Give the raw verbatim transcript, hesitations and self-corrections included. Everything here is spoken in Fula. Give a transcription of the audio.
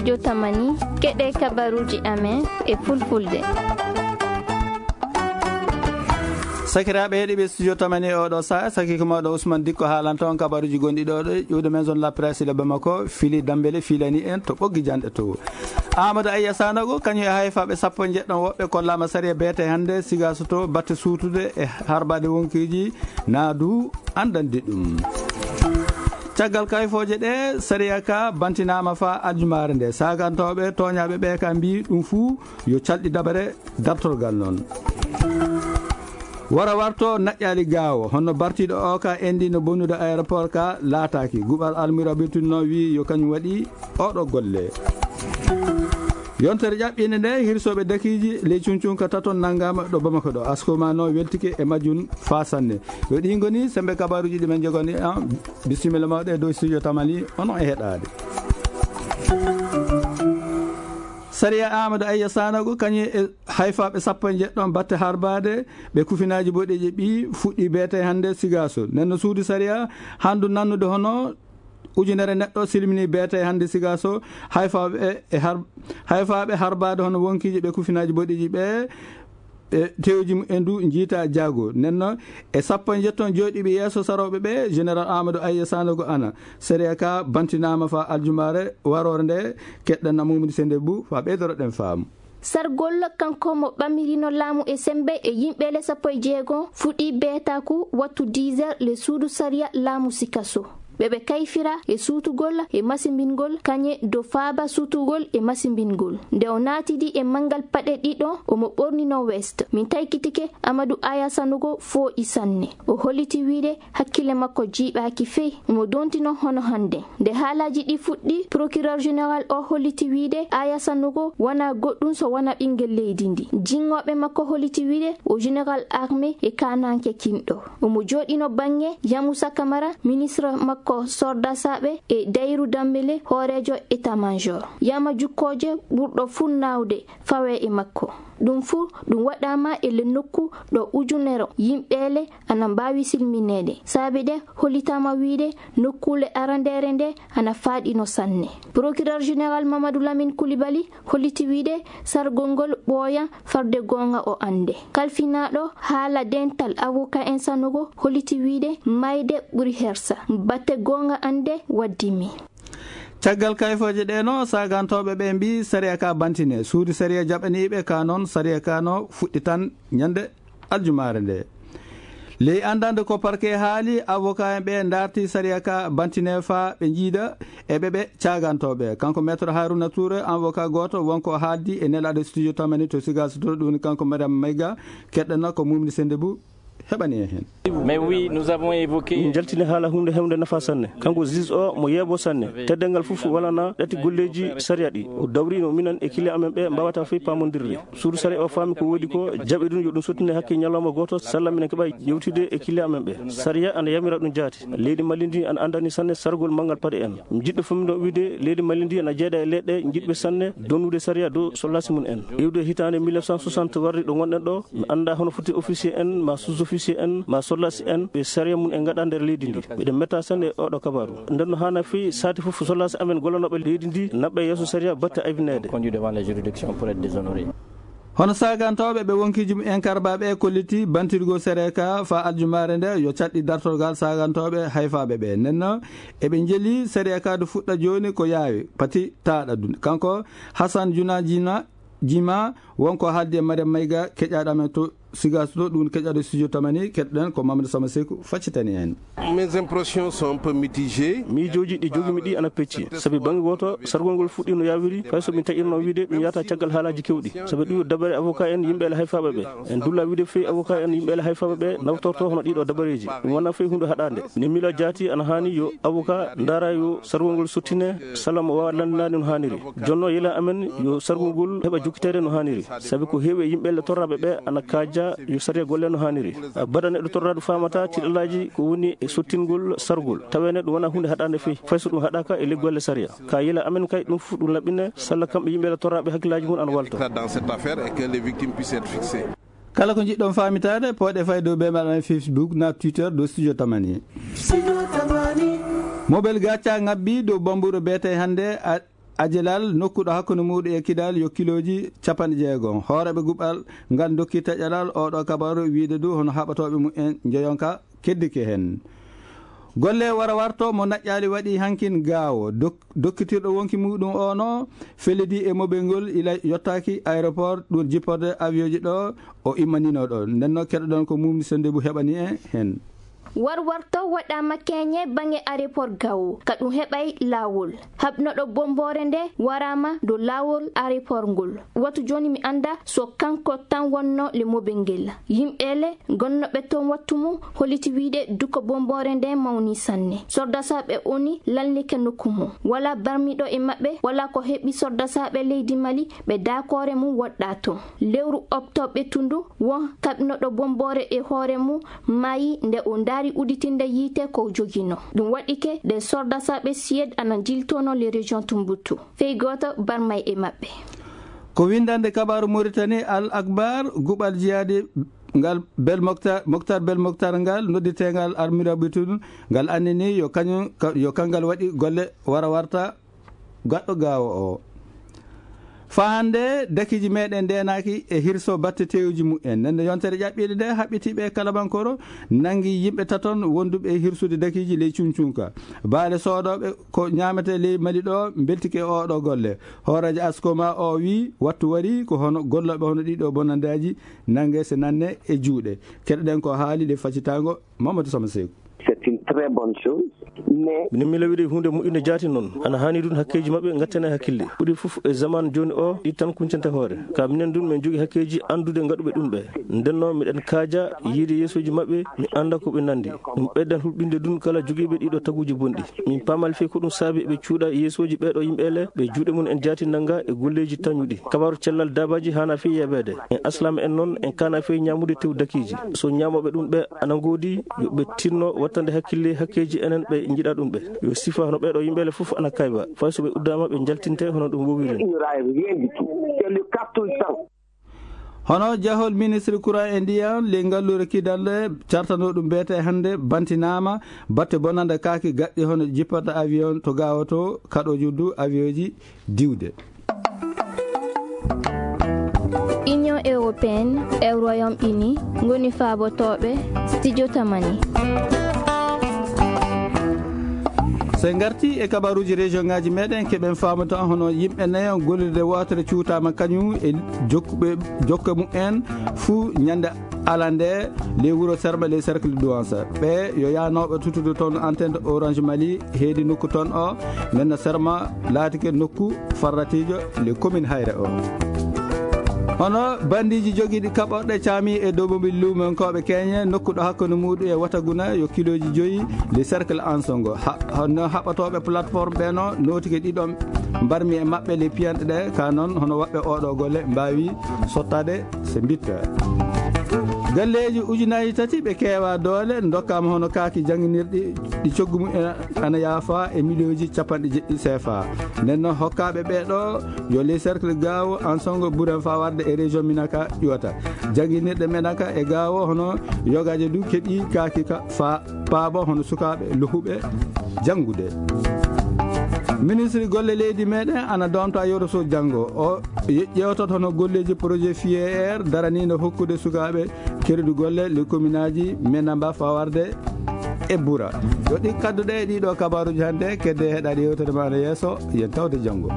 Jotamani, keɗe kabaruji amen e fulfulde. Sakiraaɓe heɗiiɓe studio Tamani e oɗo saha, sakiiko mawɗo Ousmane Dikko haalanta on kabaruji gonɗi ɗo ɗo ƴuwde Maison de la Presse de Bamako, Fili Dambele filani en to ɓoggi janɗe to. Amadou Ayya Sanogo, kañum e hayfaaɓe sappo e njeɗɗon woɓɓe kollaama sariya beete hannde Sigaso to batte suutude e harbaade wonkiiji naadu anndandi ɗum. Caggal kayfooje ɗe, sariya ka bantinaama faa aljumaare nde. Saagantooɓe tooñaaɓe ɓe ka mbii ɗum fuu yo calɗi dabare dartorgal noon. Wara warto naƴƴaali gaawo, honno bartiiɗo o ka endi no bonnude aéroport ka laataaki. Guɓal almira Bitunno wii yo kañum waɗi oɗo golle. Yontere ƴaɓɓinde nde, hirsooɓe dakiiji ley Cuncunka taton nanngaama ɗo Bamako ɗo. Asko ma no weltike e majjum faa sanne. Yo ɗi ngoni sembe kabaruuji ɗi men njogani. Ah, bisimilla mawɗo e dow studio Tamani, onon e heɗaade. Sariya Amadou Ayya Sanogo, kañum e hayfaaɓe sappo e njeɗɗon batte harbaade, ɓe kufinaaji boɗeeji ɓi fuɗɗi beete hannde Sigaso. Nden no suudu sariya handu nannude hono ujunere neɗɗo silmini beete hannde Sigaso, hayfaaɓe e har-, hayfaaɓe harbaade hono wonkiiji ɓe kufinaaji boɗeeji ɓe, ɓe tewji mumen du njiita jaago. Nden no e sappo e njetton jooɗiiɓe yeeso sarooɓe ɓe, Général Amadou Ayya Sanogo ana. Sariya ka bantinaama faa aljumaare waroore nde, keɗɗen na Mamadou Sende Bou faa ɓeydoroɗen faamu. Sargol kanko mo ɓamirino laamu e sembe e yimɓe le sappo e jeego fuɗɗi beetaaku wattu dix heures le suudu sariya laamu Sikaso. Ɓe ɓe kayfira e suutugol e masimbingol kañe do faaba suutugol e masimbingol. Nde o naatidi e manngal paɗe ɗiɗo, omo ɓornino veste. Min taykitike Amadou Aya Sanogo fooƴi sanne. O holliti wiide hakkille makko jiiɓaaki fey, omo dontino hono hannde. Nde haalaaji ɗi fuɗɗi, procureur général o holliti wiide Aya Sanogo wonaa goɗɗum so wonaa ɓinngel leydi ndi. Jinngooɓe makko holliti wiide o général armé e kaananke kinɗo. Omo jooɗino bannge Yamusa Kamara, ministre makko sordasaaɓe e Dayru Dambele, hooreejo état-major. Yama jukkooje ɓurɗo fuu naawde fawee e makko. Ɗum fuu ɗum waɗaama e le nokku ɗo ujunere yimɓeele ana mbaawi silmineede. Saabe ɗe hollitaama wiide nokkuule arandeere nde ana faaɗino sanne. Procureur général Mamadou Lamine Coulibaly holliti wiide sargol ngol ɓooya farde goonga o annde. Kalfinaaɗo haala dental avocat en Sanogo holliti wiide mayde ɓuri hersa. Batte goonga annde waddimi. Caggal kayfooje ɗe no, saagantooɓe ɓe mbii sariya ka bantine. Suudu sariya jaɓaniiɓe ka noon, sariya ka no fuɗɗi tan ñande aljumaare nde. Ley anndande ko parquet haali, avocat en ɓe ndaarti sariya ka bantine faa ɓe njiida e ɓe ɓe caagantooɓe. Kanko Maître Haruna Touré, avocat gooto, wonko haaldi e nelaaɗo studio Tamani to Sigaso to, ɗum woni kanko Mariam Mayga, keɗɗana ko Mumni Sende Bou heɓani en heen. Mais oui, nous avons évoqué. Min njaltini haala huunde hewnde nafa sanne. Kanko juge o mo yeebo sanne. Teddeengal fof walana ɗati golleeji sariya ɗi. O dawrino minen e client amen ɓe mbawata fey paamondirde. Suudu sariya o faami ko woodi ko jaɓi ɗum yo ɗum sottine hakke ñalawma gooto salla minen keɓa yewtide e client amen ɓe. Sariya ana yamira ɗum jaati. Leydi Mali ndi ana anndani sanne sargol manngal paɗe en. Jiɗɗo fof mino wiide leydi Mali ndi ana jeeɗa e leɗɗe jiɗɓe sanne donnude sariya dow sollasi mum en. Iwde hitaande mille neuf cent soixante warri ɗo ngonɗen ɗo, mi annda hono foti officier en, ma sous-officier en, ma sollasi en, ɓe sariya mum en ngaɗa nder leydi ndi. Miɗen metta sanne e oɗo kabaru. Nden no haana fii saati fof sollasi amen gollanooɓe leydi ndi naɓɓe yeeso sariya batte aybineede. Conduit devant la juridiction pour être déshonoré. Hono saagantooɓe ɓe wonkiiji mumen karbaaɓe kolliti bantirgol sariya ka faa aljumaare nde yo caɗɗi dartorgal saagantooɓe hayfaaɓe ɓe. Nden no eɓe njeli sariya ka du fuɗɗa jooni ko yaawi, pati taaɗa du. Kanko Hassan Juna Jina, Jima, wonko haaldi e Mariam Mayga, keƴaaɗo amen to Sigaso to, ɗum keƴaaɗo studio Tamani, keɗɗen ko Mamadou Sama Seku faccitani en. Mes impressions sont un peu mitigées. Miijooji ɗi jogimi ɗi ana pecci. Sabi bannge gooto, sargol ngol fuɗɗi no yaawiri, fay so min taƴirno wiide ɗum yahata caggal haalaaji keewɗi. Sabi ɗum yo dabare avocat en, yimɓe e hayfaaɓe ɓe. En dulla wiide fey avocat en, yimɓe e hayfaaɓe ɓe nawtorto hono ɗiɗo dabareeji. Ɗum wona fey huunde haɗaande. Ne miila jaati ana haani yo avocat ndaara yo sargol ngol sottine, salla mo waawa lanndinaade no haaniri. Jonno yila amen yo sargol ngol heɓa jokkiteede no haaniri. Sabi ko heewi e yimɓe le torraaɓe ɓe ana kaaja yo sariya golle no haaniri. Baɗa neɗɗo torraaɗo faamata tiɗalaaji ko woni e sottingol sargol. Tawee neɗɗo wona huunde haɗaande fey, fay so ɗum haɗaaka e le golle sariya. Ka yila amen kay ɗum fof ɗum laɓɓine, salla kamɓe yimɓe le torraaɓe hakkillaaji mum ana walto. Dans cette affaire et que les victimes puissent être fixées. Kala ko njiɗɗon faamitaade, pooɗe fay dow bee maɗa Facebook na Twitter dow Studio Tamani. Mobel Gaca ngabbi dow Bambuuro beete hannde a-, Ajelal nokkuɗo hakkunde muuɗum e Kidal yo kilooji capanɗe jeegom. Hooreeɓe guɓal ngal dokki taƴalal oɗo kabaru wiide du hono haɓatooɓe mumen njoyonka keddike heen. Golle wara warto mo naƴƴaali waɗi hankin gaawo. Dok-, dokkitirɗo wonki muuɗum o no fellidi e mobel ngol ila yottaaki aéroport ɗum jipporde avion ji ɗo o immanino ɗo. Nden no keɗoɗon ko Mumni Sendebu heɓani en heen. Warwarto waɗaama keñe baŋnge aéroport Gao, ka ɗum heɓay laawol. Haɓnoɗo bomboore nde waraama dow laawol aéroport ngol. Watu jooni mi annda so kanko tan wonno le mobel ngel. Yimɓe le gonnoɓe toon wattu mum holliti wiide duko bomboore nde mawni sanne. Sordasaaɓe oni lallike nokku mum. Wala barmiɗo e maɓɓe, wala ko heɓi sordasaaɓe leydi Mali, ɓe daakoore mum woɗɗa toon. Lewru oktobre tundu, won kaɓnoɗo bomboore e hoore mum maayi nde o ndaari uditinde yiite ko jogino. Ɗum waɗike nde sordasaaɓe Siyed ana jiltono le région Tumbuktu. Fey gooto barmay e maɓɓe. Ko windande kabaaru Mauritanie Al Akbar, guɓal jihaadi ngal Bel Moktar, Moktar Bel Moktar ngal, nodditeengal Almirabitu, ngal annini yo kañum, ka-, yo kangal waɗi golle wara warta gaɗɗo gaawo o. Faa hannde, dakiiji meɗen ndeenaaki e hirso batte teewuji mumen. Nden no yontere ƴaɓɓiinde nde, haɓɓitiiɓe e Kalabankoro, nangi yimɓe taton wonduɓe e hirsude dakiiji ley Cuncunka. Baale soodooɓe ko ñaamete ley Mali ɗo, mbeltike e oɗo golle. Hooreejo Askoma o wi, wattu wari ko hono gollooɓe hono ɗiɗo bonandaaji nange se nanne e juuɗe. Keɗoɗen ko haali ley facitaango Mamadou Sama Seeku. C'est une très bonne chose, mais minen mi lawiri huunde moƴƴunde jaati noon. Ana haani ɗum hakkeeji maɓɓe ngattane hakkille. Ɓuri fof e zaman jooni o, ɗi tan kuncante hoore. Ka minen ɗum, min jogi hakkeeji anndude ngaɗuɓe ɗum ɓe. Nden noon, miɗen kaaja yiide yeesooji maɓɓe, mi annda ko ɓe nandi. Ɗum ɓeydan hulɓinde ɗum kala jogiiɓe ɗiɗo taguuji bonɗi. Min paamal fii ko ɗum saabi ɓe cuuɗa yeesooji ɓeeɗo yimɓe le, ɓe juuɗe mum en jaati nanga e golleeji tañuɗi. Kabaaru cellal daabaaji haana fii yeeɓeede. En aslaama en noon, en kaana fii ñaamude tew dakiiji. So ñaamooɓe ɗum ɓe ana ngoodi, yo ɓe tinno wattande hakkille hakkeeji enen ɓe njiɗa ɗum ɓe. Yo sifa hono ɓeeɗo yimɓe le fof ana kayba. Fay so ɓe uddaama, ɓe njaltinte hono ɗum wowiri. Il n'y aura rien du tout. C'est le carton sang. Hono jahol ministre courant e ndiyam, ley ngalluure Kidal, cartanoo ɗum beete hannde, bantinaama batte bonande kaaki gaɗɗi hono jipporɗe avion to Gao to, kaɗo juddu avionji diwde. Union européenne e Royaume-Uni ngoni faabotooɓe studio Tamani. So en ngarti e kabaruuji région ngaji meɗen, keɓen faamude hono yimɓe nayo gollirde wootere cuutaama kañum e jokkuɓe, jokka mumen fuu ñande alande ley wuro Serma, ley cercle Douansa. Ɓe yo yaanooɓe tuttude toon antenne Orange Mali, heedi nokku toon o, men no Serma laatike nokku farratiijo le commune Hayre o. Hono bandiiji jogiiɗi kaɓorɗe caami e dow mobil luumonkooɓe keñe, nokku ɗo hakkunde muuɗum e Wataguna yo kilooji joyi le cercle Ansongo. Ha-, hono haɓatooɓe plateforme ɓe no nootike ɗiɗon mbarmi e maɓɓe le piyanɗe ɗe, ka noon hono waɗɓe oɗo golle mbaawi sottaade se mbitta. Galleeji ujunaaji tati ɓe keewa doole ndokkaama hono kaaki jannginirɗi ɗi coggu mum en ana yaafa e miliyonji capanɗe jeɗɗi C F A. Nden noon hokkaaɓe ɓee ɗo yo les cercle Gaawo, Ansongo, Buren faa warde e région Minaka ƴuwata. Jannginirɗe Minaka e Gaawo hono yogaaje du keɓi kaaki ka faa paabo hono sukaaɓe lohuɓe janngude. Ministre golle leydi meɗen ana doomta yewto so janngo. O ye-, ƴeewtoto hono golleeji projet F I E R daraniino hokkude sukaaɓe crédit golle le commune aji Menamba faa warde e Bura. Yo ɗi kadduɗe e ɗiɗo kabaaruuji hannde, kedde heɗaade yewtere ma no yeeso, yen tawde janngo.